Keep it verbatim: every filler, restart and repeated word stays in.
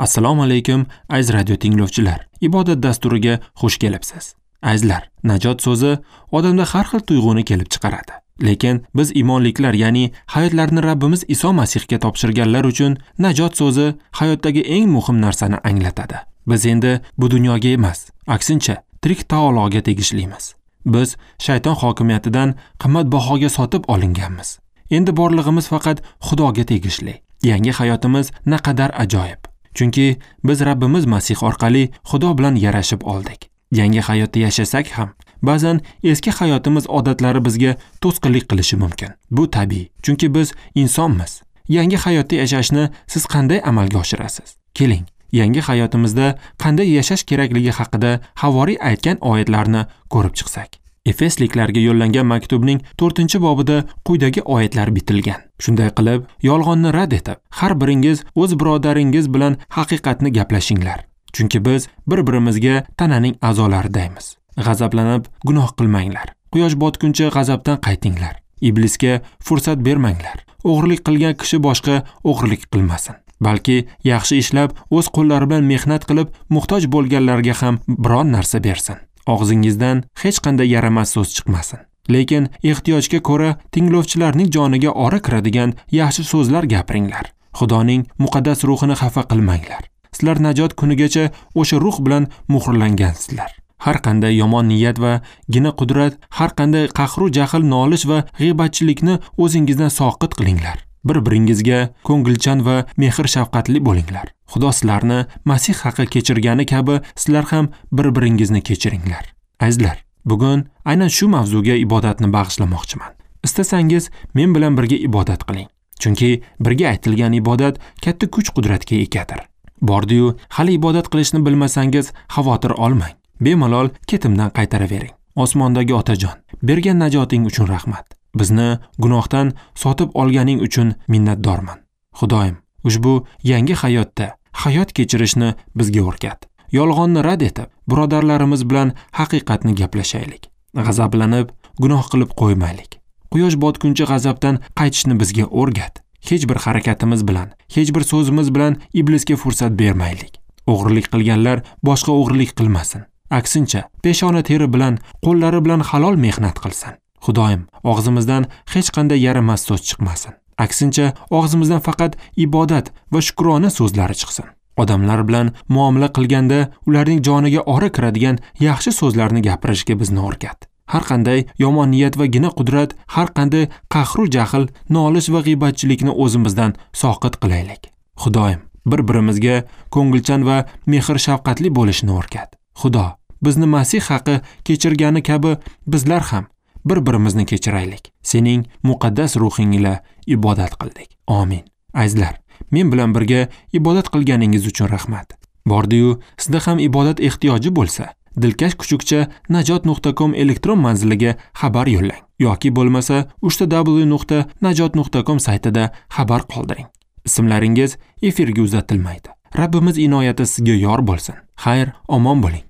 Assalomu alaykum aziz radio tinglovchilar. Ibodat dasturiga xush kelibsiz. Azizlar, najot so'zi odamda har xil tuyg'uni kelib chiqaradi. Lekin biz iymonliklar, ya'ni hayotlarini Rabbimiz Iso Masihga topshirganlar uchun najot so'zi hayotdagi eng muhim narsani anglatadi. Biz endi bu dunyoga emas, aksincha tirik taologa tegishlimiz. Biz shayton hokimiyatidan qimmatbahoga sotib olinganmiz. Endi borlig'imiz faqat Xudoga tegishli. Yangi hayotimiz naqadar ajoyib. Chunki biz Rabbimiz Masih orqali Xudo bilan yarashib oldik. Yangi hayotda yashasak ham, ba'zan eski hayotimiz odatlari bizga to'sqinlik qilishi mumkin. Bu tabiiy, chunki biz insonmiz. Yangi hayotda yashashni siz qanday amalga oshirasiz? Keling, yangi hayotimizda qanday yashash kerakligi haqida havoriy aytgan oyatlarni ko'rib chiqsak. Efesliklarga yo'llangan maktubning to'rtinchi bobida quyidagi oyatlar bitilgan. Shunday qilib, yolg'onni rad etib, har biringiz o'z birodaringiz bilan haqiqatni gaplashinglar. Chunki biz bir-birimizga tananing a'zolaridaymiz. G'azablanib gunoh qilmanglar. Quyosh botguncha g'azabdan qaytinglar. Iblisga fursat bermanglar. O'g'irlik qilgan kishi boshqa o'g'irlik qilmasin, balki yaxshi ishlab, o'z qo'llari bilan mehnat qilib, muhtoj bo'lganlarga ham biron narsa bersin. Og'zingizdan hech qanday yaramas so'z chiqmasin. Lekin ehtiyojga ko'ra tinglovchilarning joniga ora kiradigan yaxshi so'zlar gapiringlar. Xudoning muqaddas ruhini xafa qilmanglar. Sizlar najot kunigacha o'sha ruh bilan muhrlangansizlar. Har qanday yomon niyat va gina qudrat, har qanday qahru jahl, nolish va g'iybatchilikni o'zingizdan soqit qilinglar. Bir-biringizga ko'ngilchan va mehr-shafqatli bo'linglar. Xudo sizlarni Masih haqi kechirgani kabi sizlar ham bir-biringizni kechiringlar. Azizlar, bugun aynan shu mavzuga ibodatni bag'ishlamoqchiman. Istasangiz men bilan birga ibodat qiling. Chunki birga aytilgan ibodat katta kuch-qudratga egadir. Bordi-yu, hali ibodat qilishni bilmasangiz xavotir olmang. Bemalol ketimdan qaytaravering. Osmondagi Otajon, bergan najoting uchun rahmat. Bizni gunohdan sotib olganing uchun minnatdorman. Xudoyim, ushbu yangi hayotda hayot kechirishni bizga o'rgat. Yolg'onni rad etib, birodarlarimiz bilan haqiqatni gaplashaylik. G'azablanib, gunoh qilib qo'ymaylik. Quyosh botguncha g'azabdan qaytishni bizga o'rgat. Hech bir harakatimiz bilan, hech bir so'zimiz bilan iblisga fursat bermaylik. O'g'irlik qilganlar boshqa o'g'irlik qilmasin. Aksincha, peshona teri bilan, qo'llari bilan halol mehnat qilsin. Xudoyim, og'zimizdan hech qanday yaramas so'z chiqmasin. Aksincha, og'zimizdan faqat ibodat va shukrona so'zlari chiqsin. Odamlar bilan muomala qilganda ularning joniga ora kiradigan yaxshi so'zlarni gapirishga bizni o'rgat. Har qanday yomon niyat va gina qudrat, har qanday qahru jahl, nolish va g'iybatchilikni o'zimizdan soqit qilaylik. Xudoyim, bir-birimizga ko'ngilchan va mehr-shafqatli bo'lishni o'rgat. Xudo, bizni Masih haqi kechirgani kabi bizlar ham bir-birimizni kechiraylik. Sening muqaddas ruhing ila ibodat qildik. Amin. Azizlar, men bilan birga ibodat qilganingiz uchun rahmat. Bordi-yu, sizda ham ibodat ehtiyoji bo'lsa, dilkash kuchukcha najot nuqta com elektron manziliga xabar yo'llang yoki bo'lmasa uchta w nuqta najot nuqta com saytida xabar qoldiring. Ismlaringiz efirga uzatilmaydi. Rabbimiz inoyati sizga yor bo'lsin. Xayr, omon bo'ling.